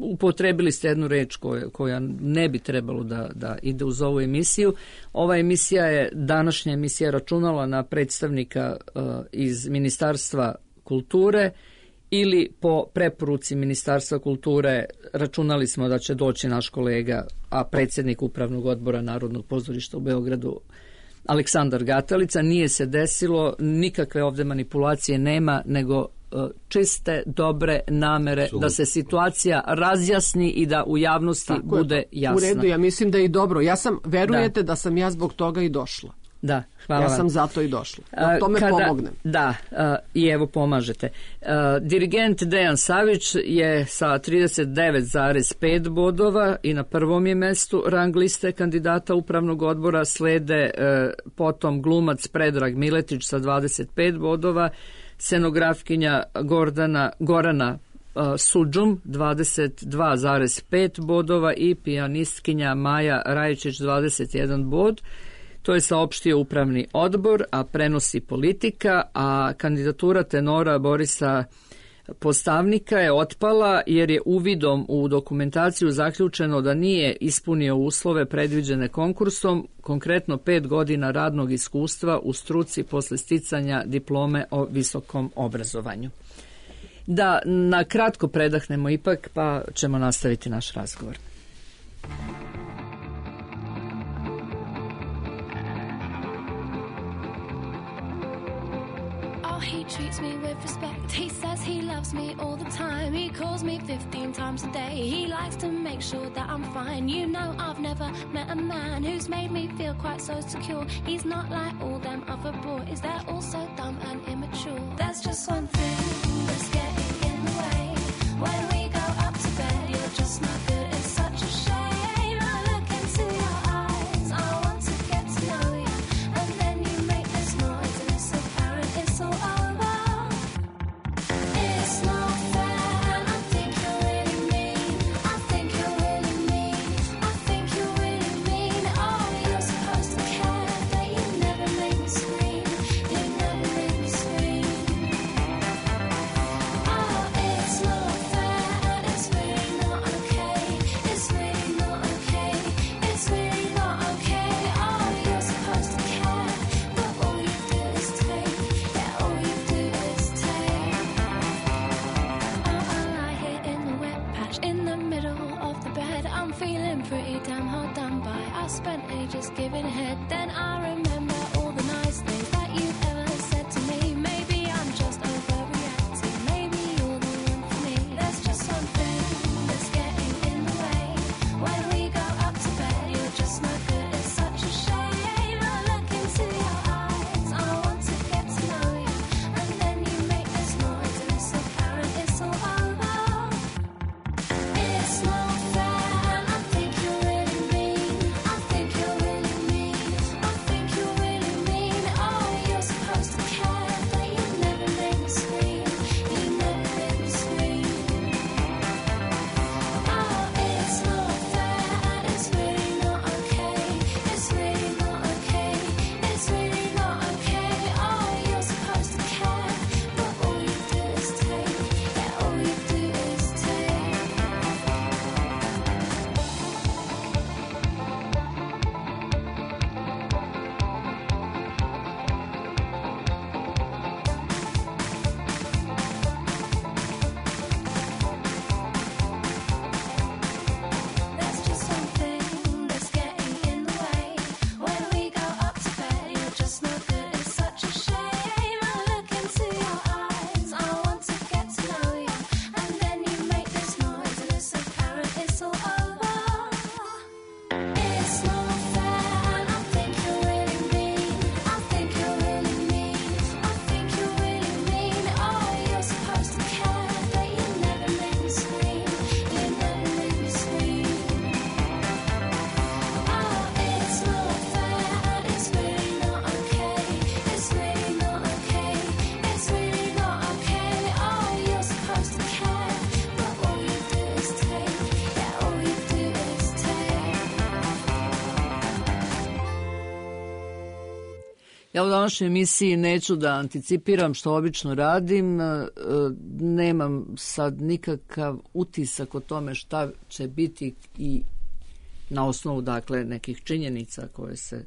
upotrebili ste jednu reč koja ne bi trebalo da ide uz ovu emisiju. Ova emisija je, današnja emisija, računala na predstavnika iz Ministarstva kulture ili po preporuci Ministarstva kulture računali smo da će doći naš kolega, a predsjednik Upravnog odbora Narodnog pozorišta u Beogradu, Aleksandar Gatalica. Nije se desilo, nikakve ovde manipulacije nema, nego čiste, dobre namere da se situacija razjasni i da u javnosti bude jasna. U redu, ja mislim da je i dobro. Verujete da sam ja zbog toga i došla. Da, hvala vam. Ja sam zato i došla. Da tome pomognem. Da, i evo pomažete. Dirigent Dejan Savić je sa 39,5 bodova i na prvom je mestu rang liste kandidata upravnog odbora, slede potom glumac Predrag Miletić sa 25 bodova, scenografkinja Gorana Suđum 22,5 bodova i pijanistkinja Maja Rajičić 21 bod. To je saopštio upravni odbor, a prenosi Politika, a kandidatura tenora Borisa Postavnika je otpala jer je uvidom u dokumentaciju zaključeno da nije ispunio uslove predviđene konkursom, konkretno 5 godina radnog iskustva u struci posle sticanja diplome o visokom obrazovanju. Da na kratko predahnemo ipak, pa ćemo nastaviti naš razgovor. He treats me with respect. He says he loves me all the time. He calls me 15 times a day. He likes to make sure that I'm fine. You know, I've never met a man who's made me feel quite so secure. He's not like all them other boys. They're all so dumb and immature. There's just one thing that's getting in the way. When we go up to bed, you're just not good. It's such a shame. I look into your eyes. I want to get to know you. And then you make this noise and it's apparent it's all over. It's not fair and I think you're really mean. I think you're really mean. I think you're really mean. Oh, you're supposed to care, but you never make me scream. You never make me scream. Oh, it's not fair and it's really not okay. It's really not okay. It's really not okay. Oh, you're supposed to care, but all you do is take. Yeah, all you do is take. I lie here in the wet patch in the middle of the bed. I'm feeling pretty damn hard done by. I spent ages giving head. Then I remember all the nice things that you've ever said to me. Maybe I'm just overreacting. Maybe you're the one for me. There's just something that's getting in the way. When we go up to bed, you're just not good. It's such a shame. I look into your eyes. I want to get to know you. And then you make this noise and it's apparent it's all over. It's not fair and I think you're really mean. I think you're really mean. I think you're really mean. Oh, you're supposed to care, but you never make me scream. You never make me scream. Oh, it's not fair and it's really not okay. It's really not okay. It's really not okay. Oh, you're supposed to care, but all you do is take. Yeah, all you do is take. There's just something that's getting in the way. When we go up to bed, you're just no good. It's such a shame. I look into your eyes. I want to get to know you. And then you make this noise and it's apparent it's all over. It's not fair and I think you're really mean. I think you're really mean. I think you're really mean. Oh, you're supposed to care, but you never make me scream. You never make me scream. Oh, it's not fair and it's really not okay. It's really not okay. It's really not okay. Oh, you're supposed to care, but all you do is take. Yeah, all you do is take. Ja u današnjoj emisiji neću da anticipiram što obično radim, nemam sad nikakav utisak o tome šta će biti i na osnovu dakle nekih činjenica koje se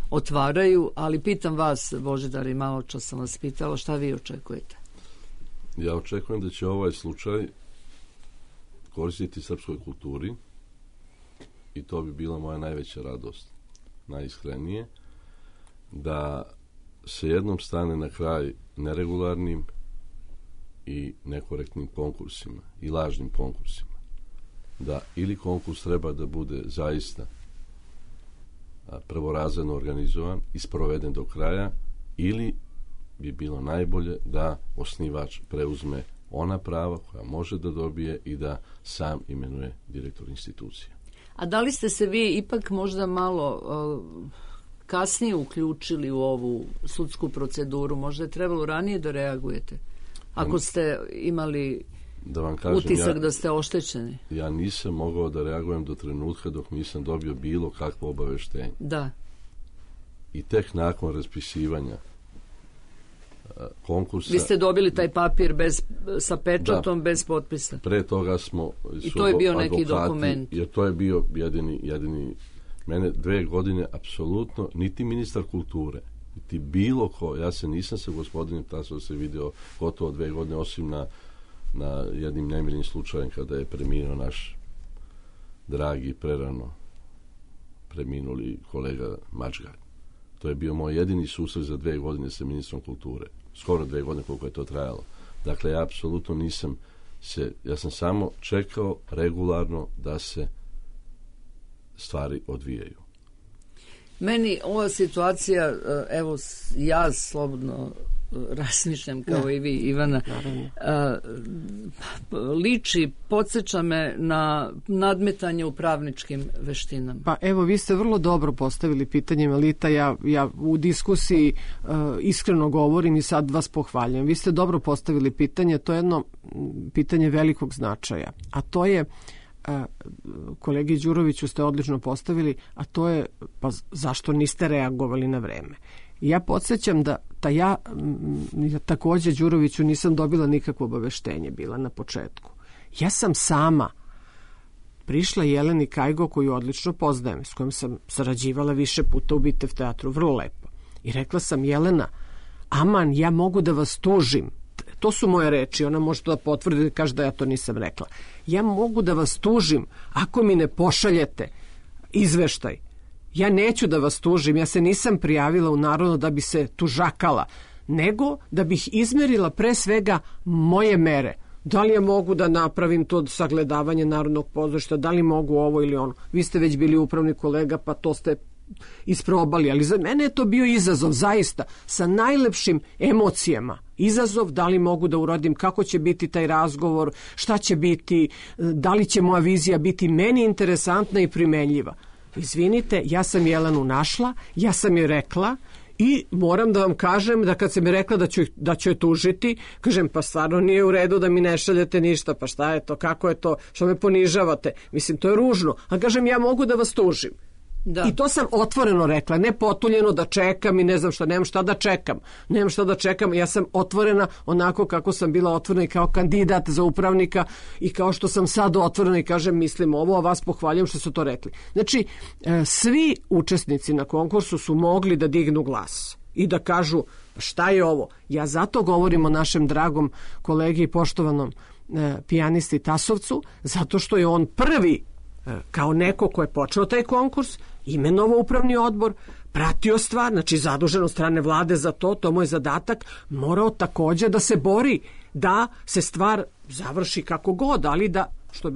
otvaraju, ali pitam vas, Božidar, i malo čas sam vas pitala, šta vi očekujete? Ja očekujem da će ovaj slučaj koristiti srpskoj kulturi i to bi bila moja najveća radost, najiskrenije. da se jednom stane na kraj neregularnim i nekorektnim konkursima i lažnim konkursima. Da ili konkurs treba da bude zaista prvorazredno organizovan i sproveden do kraja, ili bi bilo najbolje da osnivač preuzme ona prava koja može da dobije i da sam imenuje direktor institucije. A da li ste se vi ipak možda malo kasnije uključili u ovu sudsku proceduru? Možda je trebalo ranije da reagujete? Ako ste imali da vam kažem, utisak da ste oštećeni? Ja nisam mogao da reagujem do trenutka dok nisam dobio bilo kakvo obaveštenje. Da. I tek nakon raspisivanja konkursa... Vi ste dobili taj papir sa pečatom, bez potpisa? Pre toga smo... I to je bio neki dokument? Jer to je bio jedini... Mene 2 godine apsolutno, niti ministar kulture, niti bilo ko, ja se nisam sa gospodinom Tasovcem se video gotovo 2 godine, osim na jednim nemilim slučajem kada je preminuo naš dragi, prerano preminuli kolega Mačgalj. To je bio moj jedini susret za 2 godine sa ministrom kulture. Skoro 2 godine koliko je to trajalo. Dakle, ja apsolutno nisam ja sam samo čekao regularno da se stvari odvijaju. Meni ova situacija, evo ja slobodno razmišljam kao i vi, Ivana, liči, podsjeća me na nadmetanje u pravničkim veštinama. Pa evo, vi ste vrlo dobro postavili pitanje, Melita, ja u diskusiji iskreno govorim i sad vas pohvaljujem. Vi ste dobro postavili pitanje, to je jedno pitanje velikog značaja, a to je, kolegi Đuroviću ste odlično postavili, a to je, pa zašto niste reagovali na vreme? Ja podsjećam da ja takođe Đuroviću nisam dobila nikakvo obaveštenje bila na početku. Ja sam sama prišla Jeleni Kajgo, koju odlično poznajem, s kojom sam sarađivala više puta u Bitev teatru, vrlo lepo. I rekla sam: Jelena, aman, ja mogu da vas tužim. To su moje reči, ona može to da potvrdi, kaže da ja to nisam rekla. Ja mogu da vas tužim ako mi ne pošaljete izveštaj. Ja neću da vas tužim, ja se nisam prijavila u Narodno da bi se tužakala, nego da bih izmerila pre svega moje mere. Da li ja mogu da napravim to sagledavanje Narodnog pozorišta, da li mogu ovo ili ono. Vi ste već bili upravni kolega, pa to ste isprobali, ali za mene je to bio izazov, zaista, sa najlepšim emocijama. Izazov, da li mogu da uradim, kako će biti taj razgovor, šta će biti, da li će moja vizija biti meni interesantna i primenljiva. Izvinite, ja sam Jelenu našla, ja sam joj rekla i moram da vam kažem da kad sam mi rekla da ću je tužiti, kažem, pa stvarno nije u redu da mi ne šaljete ništa, pa šta je to, kako je to, što me ponižavate, mislim, to je ružno, a kažem, ja mogu da vas tužim. Da. I to sam otvoreno rekla, ne potuljeno da čekam i ne znam šta, nemam šta da čekam, ja sam otvorena onako kako sam bila otvorena i kao kandidat za upravnika i kao što sam sad otvorena i kažem, mislim ovo, a vas pohvaljujem što su to rekli. Znači, svi učesnici na konkursu su mogli da dignu glas i da kažu šta je ovo. Ja zato govorim o našem dragom kolegi i poštovanom pijanisti Tasovcu, zato što je on prvi, kao neko ko je počeo taj konkurs, imenovao upravni odbor, pratio stvar, znači zadužen od strane vlade za to mu je zadatak, morao takođe da se bori da se stvar završi kako god, ali da, što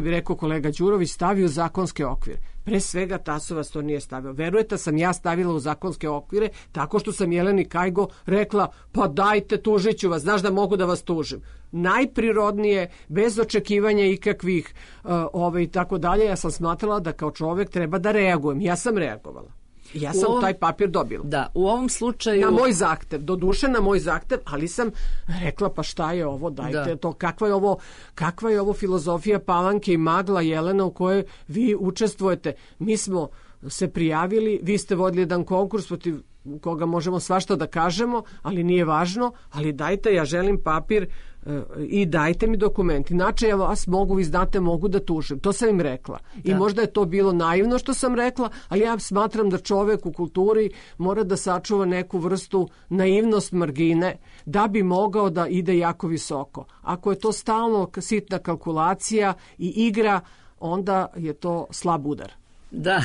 bi rekao kolega Đurović, stavi u zakonske okvire. Pre svega Tasovac to nije stavio. Verujete, sam ja stavila u zakonske okvire tako što sam Jeleni Kajgo rekla, pa dajte, tužit ću vas, znaš da mogu da vas tužim. Najprirodnije, bez očekivanja ikakvih i tako dalje, ja sam smatrala da kao čovek treba da reagujem. Ja sam reagovala. Ja sam taj papir dobila. Da, u ovom slučaju... Na moj zahtev, doduše na moj zahtev, ali sam rekla, pa šta je ovo, dajte to, kakva je ovo filozofija Palanke i magla, Jelena, u kojoj vi učestvujete. Mi smo se prijavili, vi ste vodili jedan konkurs protiv koga možemo svašta da kažemo, ali nije važno, ali dajte, ja želim papir i dajte mi dokument. Inače, ja vas vi znate, mogu da tužim. To sam im rekla. Da. I možda je to bilo naivno što sam rekla, ali ja smatram da čovek u kulturi mora da sačuva neku vrstu naivnost margine da bi mogao da ide jako visoko. Ako je to stalno sitna kalkulacija i igra, onda je to slab udar. Da,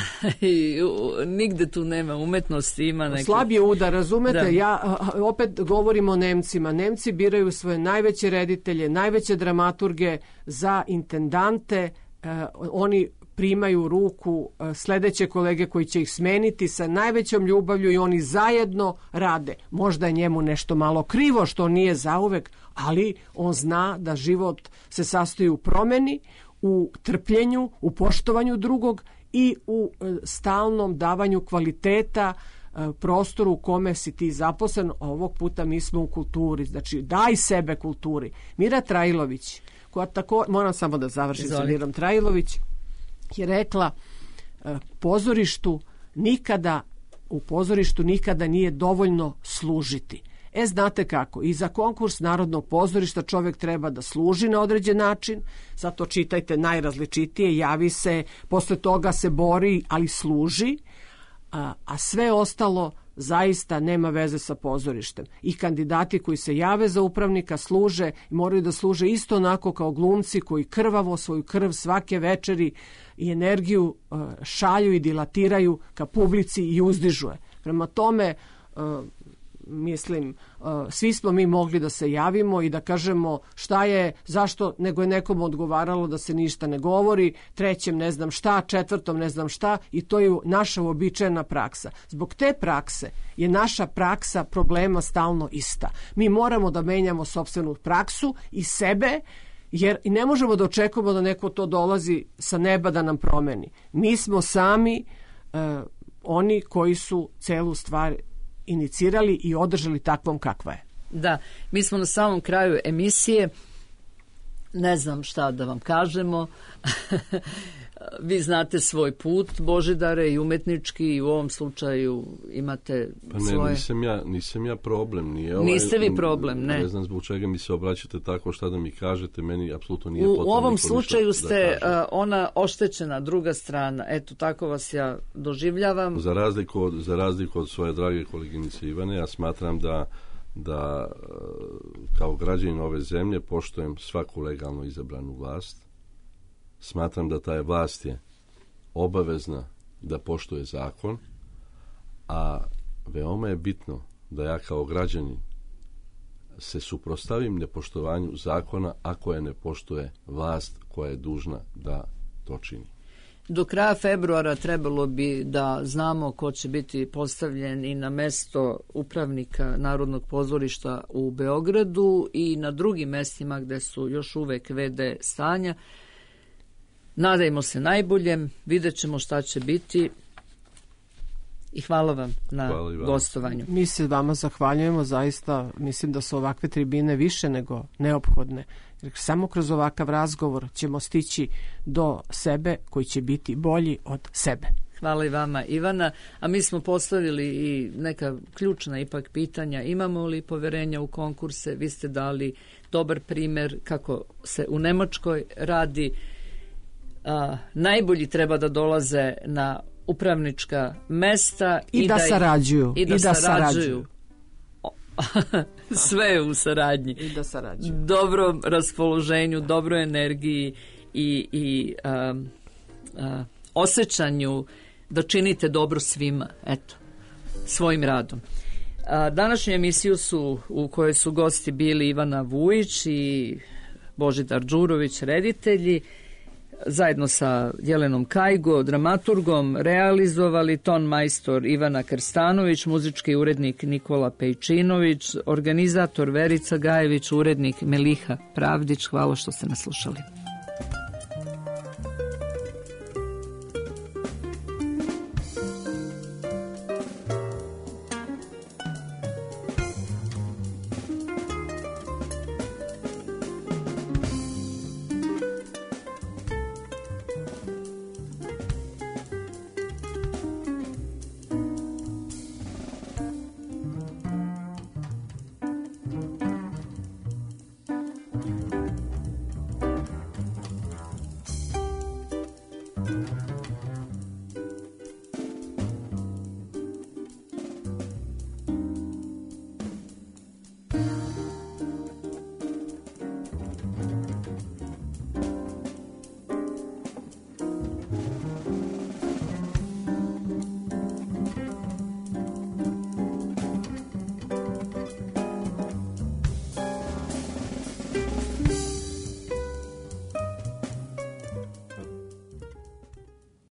nigde tu nema umetnosti, ima neke... Slab je udar, razumete? Da. Ja opet govorim o Nemcima. Nemci biraju svoje najveće reditelje, najveće dramaturge za intendante. Oni primaju u ruku sledeće kolege koji će ih smeniti sa najvećom ljubavlju i oni zajedno rade. Možda je njemu nešto malo krivo što nije zauvek, ali on zna da život se sastoji u promeni, u trpljenju, u poštovanju drugog i u stalnom davanju kvaliteta prostoru u kome si ti zaposlen. Ovog puta mi smo u kulturi, znači daj sebe kulturi. Mira Trajlović, koja tako, moram samo da završim sa Mirom Trajlović, je rekla u pozorištu nikada nije dovoljno služiti. Znate kako, i za konkurs Narodnog pozorišta čovjek treba da služi na određen način, zato čitajte najrazličitije, javi se, posle toga se bori, ali služi, a sve ostalo zaista nema veze sa pozorištem. I kandidati koji se jave za upravnika služe, moraju da služe isto onako kao glumci koji krvavo svoju krv svake večeri i energiju šalju i dilatiraju ka publici i uzdižu je. Prema tome, mislim, svi smo mi mogli da se javimo i da kažemo šta je, zašto, nego je nekom odgovaralo da se ništa ne govori, trećem ne znam šta, četvrtom ne znam šta, i to je naša uobičajena praksa. Zbog te prakse je naša praksa problema stalno ista. Mi moramo da menjamo sopstvenu praksu i sebe, jer i ne možemo da očekujemo da neko to dolazi sa neba da nam promeni. Mi smo sami oni koji su celu stvar inicirali i održali takvom kakva je. Da, mi smo na samom kraju emisije, ne znam šta da vam kažemo. Vi znate svoj put, Božidare, i umetnički, i u ovom slučaju imate svoje... Nisam ja problem. Niste vi problem, ne. Ne znam zbog čega mi se obraćate tako, šta da mi kažete, meni apsolutno nije potrebno. potrebno. U ovom slučaju ste ona oštećena druga strana, eto, tako vas ja doživljavam. Za razliku od svoje drage koleginice Ivane, ja smatram da kao građanin ove zemlje poštujem svaku legalno izabranu vlast. Smatram da ta vlast je obavezna da poštuje zakon, a veoma je bitno da ja kao građanin se suprotstavim nepoštovanju zakona ako je ne poštuje vlast koja je dužna da to čini. Do kraja februara trebalo bi da znamo ko će biti postavljen i na mesto upravnika Narodnog pozorišta u Beogradu i na drugim mestima gde su još uvek VD stanja. Nadajmo se najboljem, vidjet ćemo šta će biti i hvala vam na gostovanju. Mi se vama zahvaljujemo, zaista mislim da su ovakve tribine više nego neophodne. Jer samo kroz ovakav razgovor ćemo stići do sebe koji će biti bolji od sebe. Hvala i vama, Ivana. A mi smo postavili i neka ključna ipak pitanja. Imamo li poverenja u konkurse? Vi ste dali dobar primer kako se u Nemačkoj radi. Najbolji treba da dolaze na upravnička mesta i da sarađuju. I da sarađuju. Sve u saradnji. I da sarađuju. Dobrom raspoloženju, dobroj energiji i osjećanju da činite dobro svima, eto, svojim radom. Današnju emisiju u kojoj su gosti bili Ivana Vujić i Božidar Đurović, reditelji, zajedno sa Jelenom Kajgo, dramaturgom, realizovali ton majstor Ivana Krstanović, muzički urednik Nikola Pejčinović, organizator Verica Gajević, urednik Meliha Pravdić. Hvala što ste nas slušali.